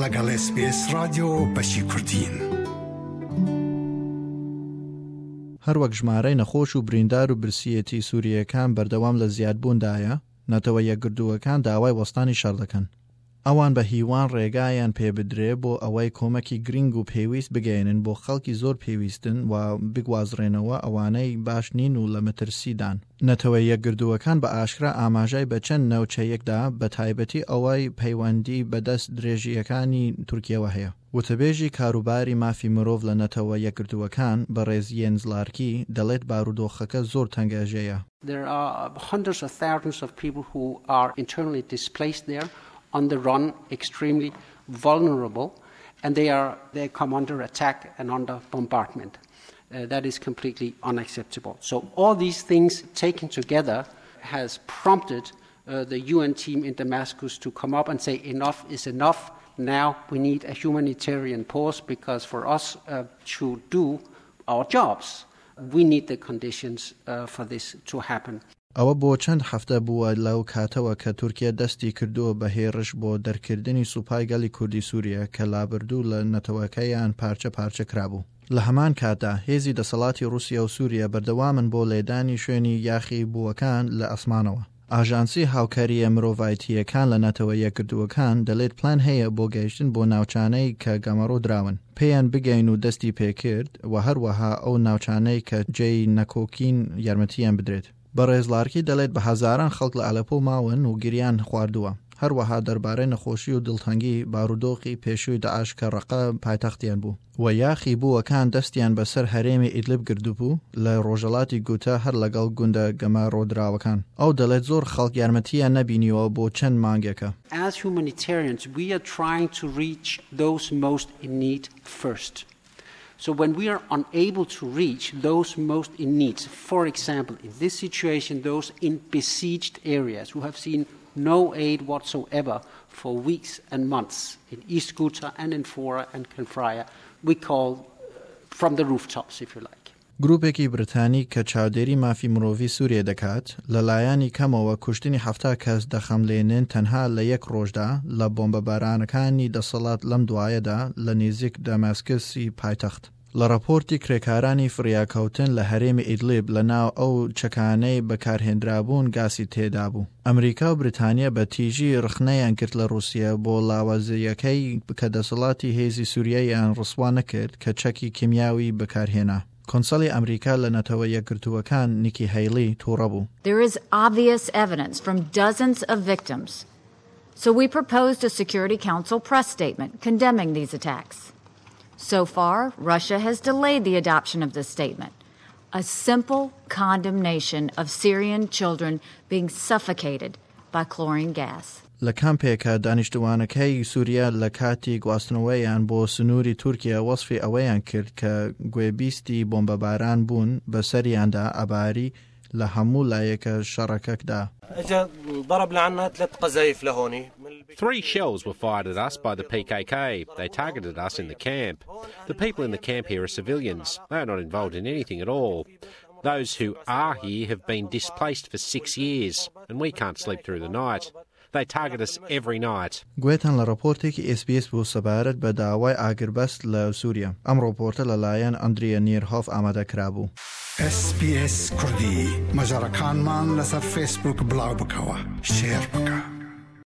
لەگەڵ SBS ڕادیۆ بەشی کوردین. هەروەک ژمارەی نەخۆش و بریندار و برسیەتی سوورییەکان بەردەوام لە زیادبووندایە، نەتەوە یەکگرتووەکان داوای وەستانی شەڕ دەکەن. ئەوان بە هیوان ڕێگایان پێبدرێ بۆ ئەوەی کۆمەکی گرینگ و پێویست بگەیەنن بۆ خەڵکی زۆر پێویستن و بگوازرێنەوە ئەوانەی باش نین و لە مەترسیدان. نەتەوە یەکگردووەکان بە ئاشکرا ئاماژای بە چەند ناوچەیەک دا بە تایبەتی ئەوەی پەیوەندی بە دەست درێژییەکانی تورکیەوە هەیە. وتەبێژی کاروباری مافی مرۆڤ لە نەتەوە یەکگرتووەکان بەڕێز یێنز لارکی دەڵێت بارودۆخەکە زۆر تەنگەژەیە. There are hundreds of thousands of people who are internally displaced there, on the run, extremely vulnerable, and they are they come under attack and under bombardment. Uh, that is completely unacceptable. So all these things taken together has prompted uh, the UN team in Damascus to come up and say enough is enough. Now we need a humanitarian pause because for us uh, to do our jobs, we need the conditions uh, for this to happen. ئەوە بۆ چەند هەفتە بووە لەو کاتەوە کە تورکیە دەستی کردووە بە هێڕش بۆ دەرکردنی سوپای گەلی کوردی سوریە کە لابردوو لە نەتەوەکەیان پارچە پارچە کرابوو. لە هەمان کاتدا هێزی دەسەڵاتی ڕوسیە و سوریە بەردەوامن بۆ لێدانی شوێنی یاخی بووەکان لە ئەسمانەوە. ئاژانسی هاوکارییە مرۆڤایتییەکان لە نەتەوە یەکگرتووەکان دەلێت پلان هەیە بۆ گەیشتن بۆ ناوچانەی کە گەمەڕۆ دراون پێیان بگەین و دەستی پێکرد و هەروەها ئەو ناوچانەی کە جێی نەکۆکین یارمەتییان بدرێت. بەڕێز لارکی دەلێت بە هەزاران خەڵک لە ئەلەپۆ ماون و گریان خواردووە. هەروەها دەربارەی نەخۆشی و دڵتەنگی بارودۆخی پێشووی داعش کە ڕەقە پایتەختیان بوو و یاخی بووەکان دەستیان بەسەر هەرێمی ئیدلب گردبوو لە ڕۆژەڵاتی گوتە هەر لەگەڵ گوندە گەمارۆدراوەکان. ئەو دەڵێت زۆر خەڵک یارمەتییان نەبینیوە بۆ چەند مانگێکە. As humanitarians, we are trying to reach those most in need first. So when we are unable to reach those most in need, for example, in this situation, those in besieged areas who have seen no aid whatsoever for weeks and months in East Ghouta and in Fora and Kafraya, we call from the rooftops, if you like. گروپێکی بریتانی کە چاودێری مافی مرۆڤی سوریە دەکات، لە لایەنی کەمەوە کوشتنی 70 کەس دەخەملێنن تەنها لە یەک ڕۆژدا لە بۆمبەبارانەکانی دەسەڵات لەم دوایەدا لە نزیک دەماسکسی پایتەخت. لە ڕاپۆرتی کرێکارانی فریاکەوتن لە هەرێمی ئیدلیب لە ناو ئەو چەکانەی بەکارهێنرابوون گاسی تێدابوو. ئەمریکا و بریتانیا بە تیژی ڕخنەیان کرد لە ڕووسیا بۆ لاوازییەکەی کە دەسەڵاتی هێزی سووریایان ڕسوا نەکرد کە چەکی کیمیاوی بەکارهێنا. کۆنسەلی ئەمریکا لە نەتەوە یەکگرتووەکان نیکی هەیلی تووڕە بوو. There is obvious evidence from dozens of victims. So we proposed a Security Council press statement condemning these attacks. So far, Russia has delayed the adoption of this statement. A simple condemnation of Syrian children being suffocated by chlorine gas. لە کامپێکە دانیشتوانەکەی سووریا لە کاتی گواستنەوەیان بۆ سنووری تورکیا وەصفی ئەوەیان کرد کە گوێبیستی بۆمبەباران بوون بەسەریاندا ئەباری لە هەموو لایەکە شەڕەکەکدا. Three shells were fired at us by the PKK. They targeted us in the camp. The people in the camp here are civilians. They are not involved in anything at all. Those who are here have been displaced for six years, and we can't sleep through the night. They target us every night. گوێتان لە ڕۆپۆرتێکی SBS بوو سەبارەت بە داوای ئاگربەست لە سووریا. ئەم ڕۆپۆرتە لەلایەن ئەندریا نیرهۆف ئامادە کرابوو. SBS کوردی مەجەڕەکانمان لەسەر فەیسبووک بڵاو بکەوە شێر بکە.